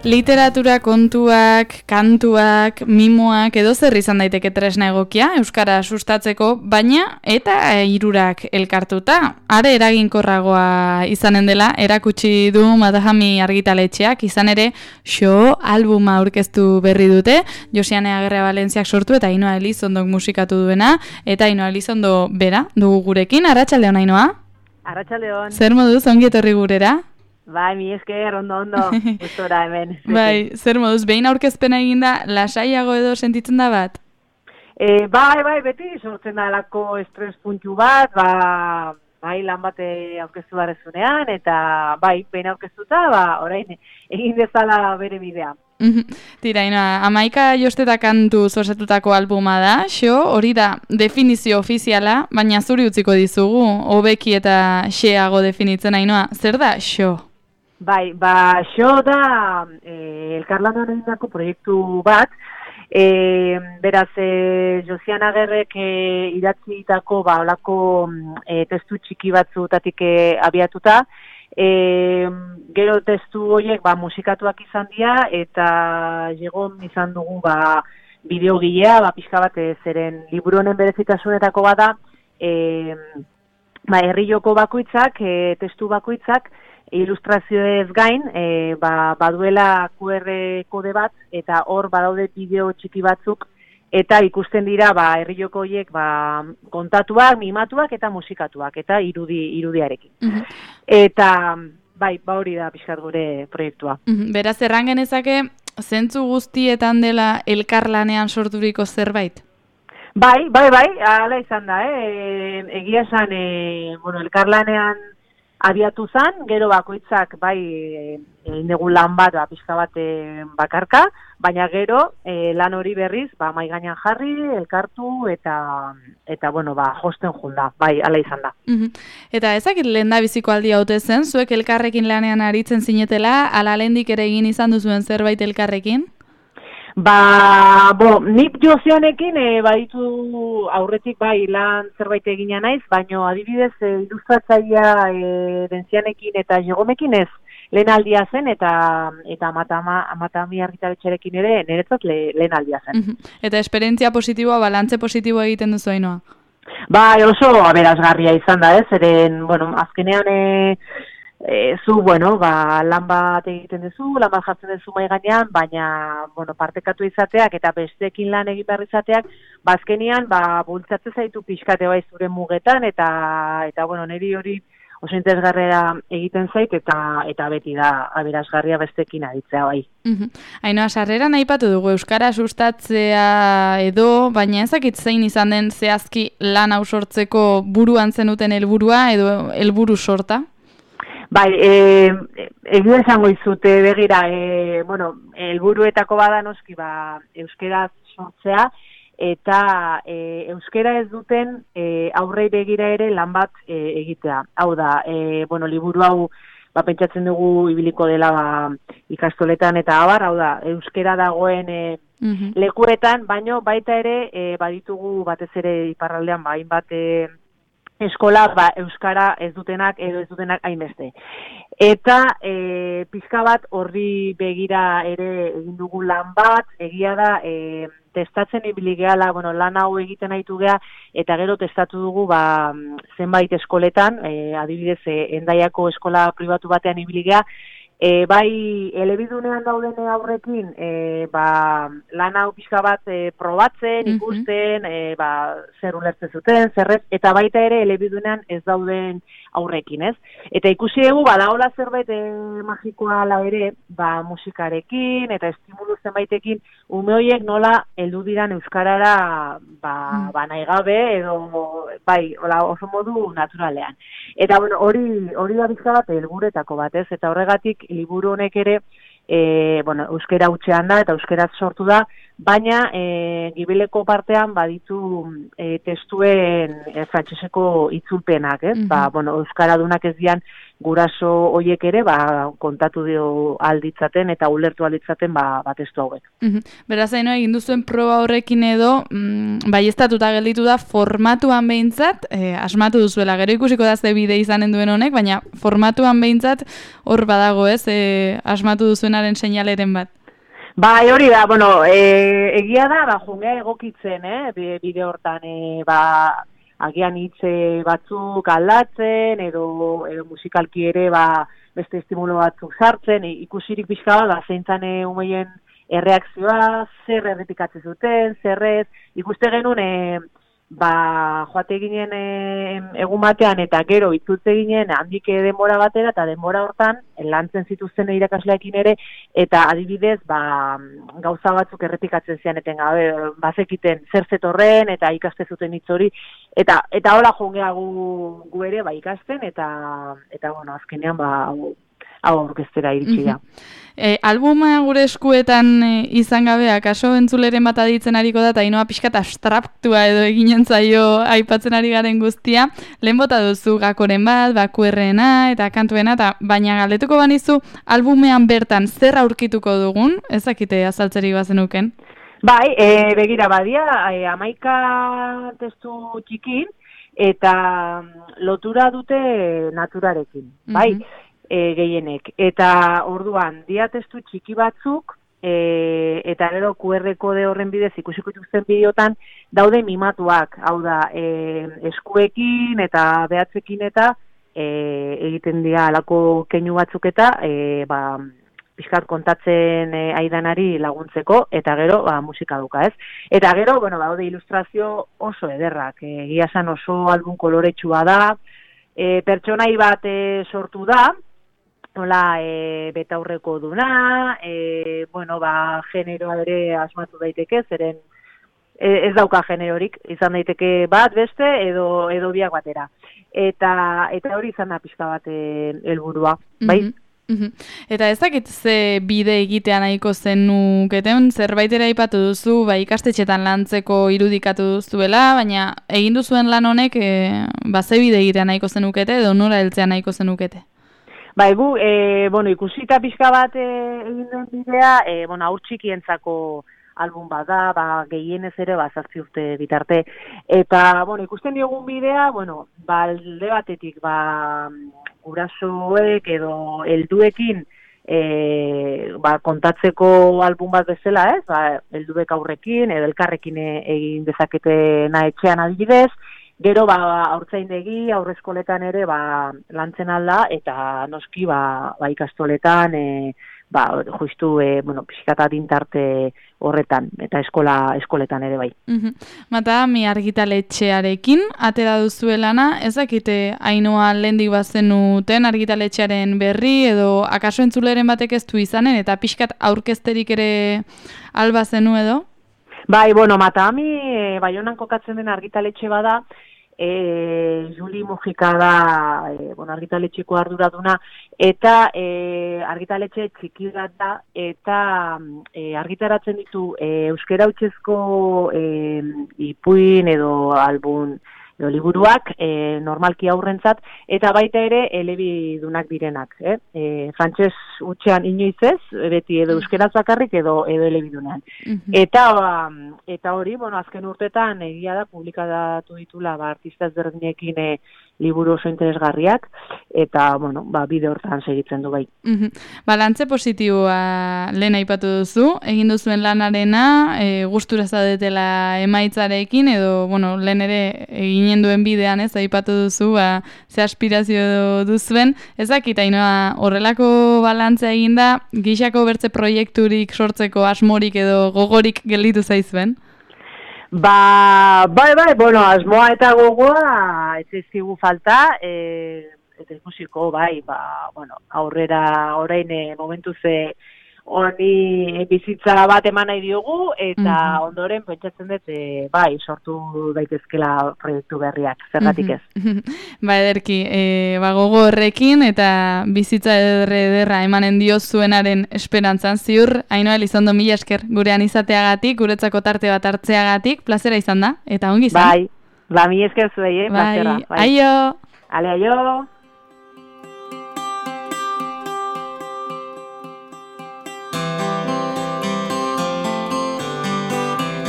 Literatura kontuak, kantuak, mimoak edo zer izan daiteke tresna egokia euskara sustatzeko, baina eta hirurak elkartuta. Are eraginkorragoa izanen dela erakutsi du Madahami argitaletxeak, izan ere Xo albuma aurkeztu berri dute, Josiane Agerra Valentziak sortu eta Ainhoa Elizondok musikatu duena, eta Ainhoa Elizondo bera dugu gurekin. Arratsaldeon, Ainhoa? Arratsaldeon. Zer moduz ongi etorri gurera? Bai, mi esker, ondo, gustora hemen. Bai, zer moduz, behin aurkezpena eginda, lasaiago edo sentitzen da bat? Bai, beti sortzen da alako estres puntu bat, bai, lan bate aurkeztu barezunean, eta bai, behin aurkeztuta, orain, egin dezala bere bidea. Tira, Ainhoa, 11 josteta kantu osatutako albuma da, Xo, hori da definizio ofiziala, baina zuri utziko dizugu, hobeki eta xeago definitzen, Ainhoa, zer da Xo? Bai, Xo da elkarlanean egindako proiektu bat, beraz, Josiane Agerrek idatzitako olako testu txiki batzutatik abiatuta, gero testu horiek musikatuak izan dira, eta jegon izan dugu bideogilea, pixka bat zeren liburu honen berezitasunetako bada, herri joko bakoitzak, testu bakoitzak, ilustrazioez gain, baduela QR kode bat, eta hor badaude bideo txiki batzuk, eta ikusten dira herri joko horiek kontatuak, mimatuak eta musikatuak, eta irudiarekin. Eta bai, hori da pixkat gure proiektua. Beraz, erran genezake, zentzu guztietan dela elkarlanean sorturiko zerbait? Bai, hala izan da, egia esan, elkarlanean abiatu zen, gero bakoitzak negu lan bat, pixka bat bakarka, baina gero lan hori berriz, mai gainean jarri, elkartu, eta josten junda, hala izan da. Eta ezakit lehen da biziko aldi haute zen, zuek elkarrekin lanean aritzen zinetela, ala lehendik ere egin izan duzuen zerbait elkarrekin? Nik Josianekin baditu aurretik lan zerbait egina naiz, baina adibidez ilustratzailea Dentzianekin eta Jegomekin ez lehen aldia zen, eta Matami argitaletxearekin ere niretzat lehen aldia zen. Eta esperientzia positiboa, balantze positiboa egiten duzu, Ainhoa? Oso aberasgarria izan da, zeren, azkenean zu, lan bat egiten duzu, lan bat jartzen duzu mai gainean, baina, partekatu izateak eta besteekin lan egin behar izateak, azkenean, bultzatzen zaitu pixkate zure mugetan, eta niri hori oso interesgarria egiten zait, eta beti da aberasgarria besteekin aditzea bai. Ainhoa, sarreran aipatu dugu euskara sustatzea edo, baina ezakit zein izan den zehazki lan hau sortzeko buruan zenuten helburua edo helburu sorta? Bai, egia esango izute begira, helburuetako bada noski, euskeraz sortzea, eta euskera ez duten aurrei begira ere lan bat egitea. Hau da, liburu hau pentsatzen dugu ibiliko dela ikastoletan eta abar, hau da, euskera dagoen lekuetan, baino baita ere baditugu batez ere iparraldean hainbat eskola euskara ez dutenak edo ez dutenak hainbeste. Eta pixka bat horri begira ere egin dugu lan bat, egia da testatzen ibili gehala, lan hau egiten haitu geha, eta gero testatu dugu zenbait eskoletan, adibidez Hendaiako eskola pribatu batean ibili geha, bai elebidunean dauden aurrekin lan hau pixka bat probatzen, ikusten, zer ulertzen zuten, zerrez, eta baita ere elebidunean ez dauden aurrekin, ez? Eta ikusi dugu, badaola zerbait magikoa ala ere, musikarekin eta estimulu zenbaitekin, ume horiek nola heldu diran euskarara nahi gabe edo oso modu naturalean. Eta hori da bizka bat helburuetako bat, ez? Eta horregatik liburu honek ere euskera hutsean da eta euskeraz sortu da, baina gibeleko partean baditu testuen frantseseko itzulpenak, ez? Bueno, euskaradunak ez dian guraso hoiek ere kontatu dio alditzaten eta ulertu alditzaten testu hauek. Beraz, egin duzuen proba horrekin edo baieztatuta gelditu da formatuan behintzat, asmatu duzuela, gero ikusiko da ze bide izanen duen honek, baina formatuan behintzat hor badago ez, asmatu duzuenaren seinaleren bat. Bai, hori da, bueno, egia da, jungea egokitzen, bide hortan, agian hitze batzuk aldatzen, edo musikalki ere, beste estimulo batzuk sartzen, ikusirik pixka bat, zeintzan umeien erreakzioa, zer errepikatzen zuten, zerrez, ikuste genuen, joate ginen egun batean eta gero itzultze ginen handik denbora batera eta denbora hortan lantzen zituzten irakasleekin ere eta adibidez gauza batzuk errepikatzen zianeten gabe bazekiten zer zetorren eta ikaste zuten hitz hori eta hola jongea gu ere ikasten eta bueno azkenean hau orkestera iritsi da. Albuma gure eskuetan izan gabe, akaso entzuleren bat aditzen ariko da, eta inoa pixkat abstraktua edo eginen zaio aipatzen ari garen guztia, lehen bota duzu gakoren bat, bakuerrena eta kantuena, baina galdetuko banizu albumean bertan zer aurkituko dugun, ezakite azaltzeri bazenuken? Bai, begira badia, 11 testu txikin, eta lotura dute naturarekin, bai? Gehienek. Eta orduan, dia testu txiki batzuk, eta gero QR kode horren bidez ikusiko dituzten bideotan daude mimatuak, hau da, eskuekin eta behatzekin eta egiten dira alako keinu batzuk eta pixkat kontatzen aidanari laguntzeko, eta gero musika duka, ez? Eta gero, bueno, daude ilustrazio oso ederrak, egia esan oso album koloretsua da, pertsonai bat sortu da, nola betaurreko duna, bueno, generoa ere asmatu daiteke, zeren ez dauka generorik, izan daiteke bat beste edo biak batera. Eta hori izan da pixka bat helburua, bai? Eta ez dakit ze bide egitea nahiko zenuketen, zerbait ere aipatu duzu, ikastetxetan lantzeko irudikatu duzuela, baina egin duzuen lan honek ze bide egitea nahiko zenukete edo nora heltzea nahiko zenukete? Bai, bueno, ikusita pixka bat egin den bidea, bueno, haur txikientzako album bat da, gehienez ere, 7 urte bitarte. Eta, bueno, ikusten diogun bidea, bueno, alde batetik, gurasoek edo helduekin kontatzeko album bat bezala, ez? Helduek aurrekin, edo elkarrekin egin dezaketena etxean adibidez, gero haurtzaindegi, aurreskoletan ere lantzen alda eta noski ikastoletan justu bueno, pixkata dintarte horretan eta eskoletan ere bai. Mata, mi argitaletxearekin atera duzuelana, ezakite Ainhoa lehendik bazenuten argitaletxearen berri edo akaso entzuleren batek ez du izanen eta pixkat aurkezterik ere alba zenu edo? Bai, bueno, Matami, Baionan kokatzen den argitaletxe bada, Juli Mujika da, bueno, argitaletxeko arduraduna, eta argitaletxe txiki bat da, eta argitaratzen ditu euskera hutsezko ipuin edo album edo liburuak, normalki aurrentzat, eta baita ere elebidunak direnak. Frantses hutsean inoiz ez, beti edo euskeraz bakarrik edo elebidunean. Eta hori, bueno, azken urtetan egia da publikatu ditula artista ezberdinekin liburu oso interesgarriak, eta, bueno, bide hortan segitzen du bai. Balantze positiboa lehen aipatu duzu, egin duzuen lanarena, gustura zaudetela emaitzarekin, edo, bueno, lehen ere eginen duen bidean ez, aipatu duzu, ze aspirazio duzuen, ezakit, Ainhoa, horrelako balantzea eginda, gixako bertze proiekturik sortzeko asmorik edo gogorik gelditu zaizuen? Bai, bueno, asmoa eta gogoa ez zaizkigu falta, eta ikusiko, bai, bueno, aurrera orain momentu ze honi bizitza bat eman nahi diogu, eta ondoren pentsatzen dut, bai, sortu daitezkela proiektu berriak, zergatik ez. Ba, ederki, gogo horrekin, eta bizitza ederra emanen dio zuenaren esperantzan ziur, Ainhoa Elizondo, mila esker, gurean izateagatik, guretzako tarte bat hartzeagatik, plazera izan da, eta ongi izan. Bai, mila esker zuei, plazera. Bai, aio! Ale, aio!